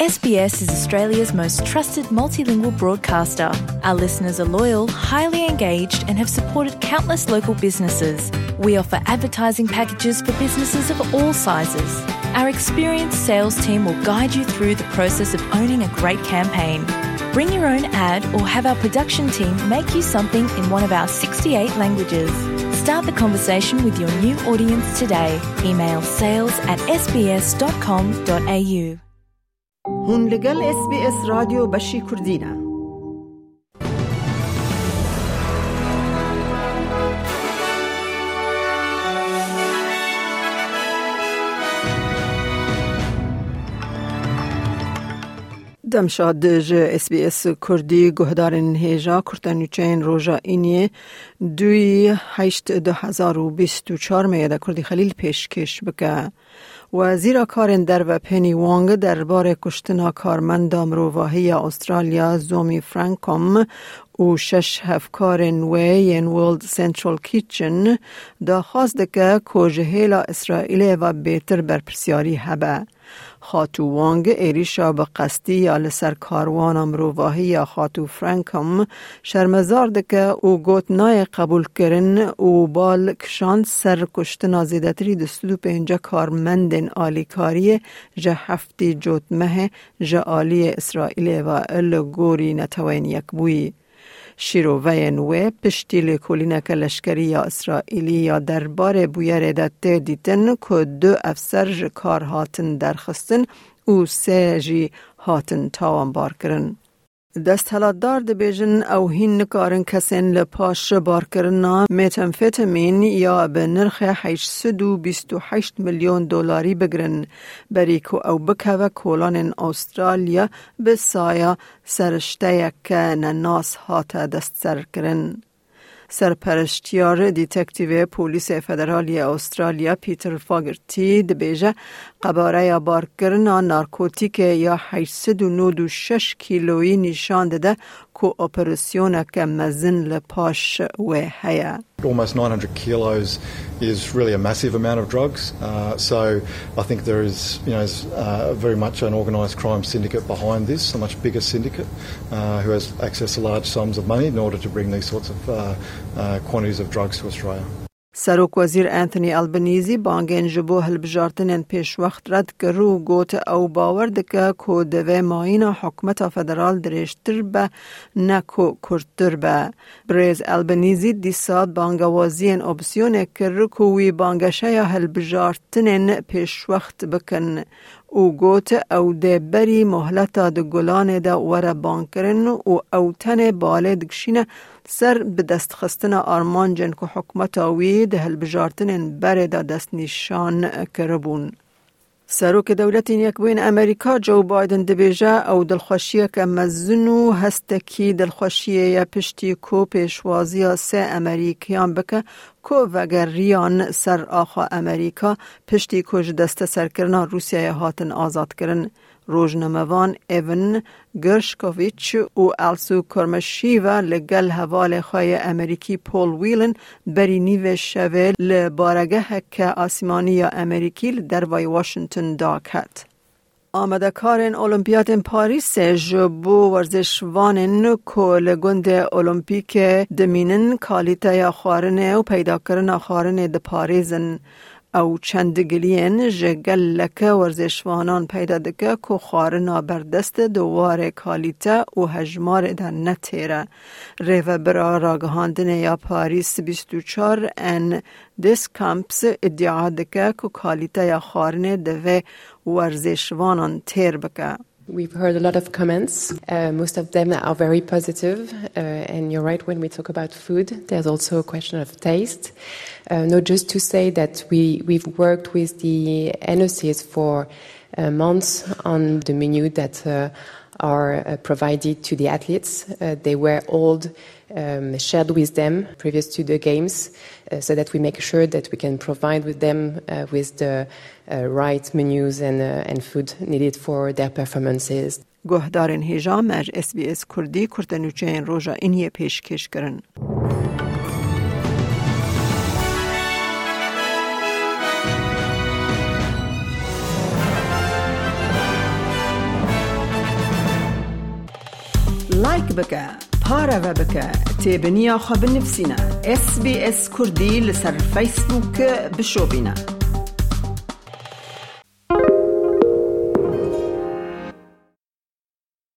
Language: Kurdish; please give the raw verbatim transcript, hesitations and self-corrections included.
S B S is Australia's most trusted multilingual broadcaster. Our listeners are loyal, highly engaged, and have supported countless local businesses. We offer advertising packages for businesses of all sizes. Our experienced sales team will guide you through the process of owning a great campaign. Bring your own ad or have our production team make you something in one of our sixty-eight languages. Start the conversation with your new audience today. Email sales at S B S dot com dot A U. Hûn li gel S B S Radyo Beşî Kurdî ne. Demşad ji S B S Kurdî, guhdarên hêja kurtenûçeyên roja Îniyê duyî heşt du hezar û bîst û çar meyede Kurdî Xelîl pêşkêş bike. Wezîra Karên Derve Penny Wong derbarê kuştina karmenda mirovahî ya Australya Zomi Francom û şeş hevkarên wê yên World Central Kitchen daxwaz dike ku ji hêla Îsraîlê ve bêtir berpirsyarî hebe. Xatû Wong êrîşa bi qestî ya li ser karwana mirovahî ya Xatû Francom şermezar dike û got nayê qebûlkirin û bal kişand ser kuştina zêdetirî du sed û pêncî karmendên alîkariyê ji heftî cotmehê ji aliyê Îsraîlê ve li gorî Neteweyên Yekbûyî. Şîroveyên wê piştî lêkolîneke leşkerî ya Îsraîlî ya derbarê bûyerê de tê dîtin ku du efser ji kar hatin derxistin û sê jî hatin tawanbarkirin. Desthilatdar dibêjin ew hîn nikarin kesên li paş barkirina metamfetamîn ya bi nirxê heşt sed û bîst û heşt milyon dolarî bigirin, berî ku ew bikeve kolanên Australya bi saya serişteyeke nenas hate destserkirin. Serpereştiyar Detective Polîsê Federal yê Australya Peter Fogarty dibêje, qebareya barkirina narkotîkê ya heşt sed û nod û şeş kîloyî nîşan dide ku operasyoneke mezin li paş wê heye. Almost nine hundred kilos is really a massive amount of drugs. Uh, so I think there is, you know, is, uh, very much an organised crime syndicate behind this, a much bigger syndicate, uh, who has access to large sums of money in order to bring these sorts of, uh, uh, quantities of drugs to Australia. Serok Wezîr Anthony Albanese bangên ji bo hilbijartinên pêşwext red kir û got, ew bawer dike ku divê mayîna hikûmeta federal dirêjtir be, ne ku kurttir be. Birêz Albanese dîsa bangewaziyên opsiyonê kir ku wî banggeşeya hilbijartinên pêşwext bikin û got, ew dê berî mohleta di gulanê de were bangkirin û ew tenê balê dikişîne ser bidestxistina armancên ku hikûmeta wî di hilbijartinên berê de destnîşan kiribûn. Serokê Dewletên Yekbûyîn Amerîka Joe Biden dibêje, ew dilxweşiyeke mezin û hestekî dilxweşiyê ye piştî ku pêşwaziya sê Amerîkiyan bike ku vegeriyan ser axa Amerîka piştî ku ji desteserkirina Rûsyayê hatin azadkirin. Rojnamevan Evan Gershkovich û Elsu Kurmashiva li gel hevalê xwe yê Amerîkî Paul Whelan berî nîvê şevê li baregeheke asîmanî ya Amerîkî li dervayî Washington daket. Amadekarên Olimpiyatên Parîsê ji bo werzişvanên ku li gundê Olimpîkê dimînin, kalîteya xwarinê û peydakirina xwarinê diparêzin. Ew çend giliyên ji gelek werzişvanan peyda dike ku xwarina berdest di warê kalîte û hejmarê de ne têr e. Rêvebira ragihandinê ya Parîs bîst û çar Anne Deschamps îdia dike ku kalîteya xwarinê divê werzişvanan têr bike. We've heard a lot of comments. Uh, most of them are very positive. Uh, and you're right, when we talk about food, there's also a question of taste. Uh, no, just to say that we, we've worked with the N O Cs for uh, months on the menu that uh, are uh, provided to the athletes. Uh, they were all um, shared with them previous to the games, uh, so that we make sure that we can provide with them uh, with the uh, right menus and, uh, and food needed for their performances. Guhdarên hêja me ji S B S Kurdî kurtenûçeyên roja Îniyê pêşkêş kirin. Like bike, pareve bike, têbiniya xwe binivîsîne. S B S Kurdî li ser Facebook bişopîne.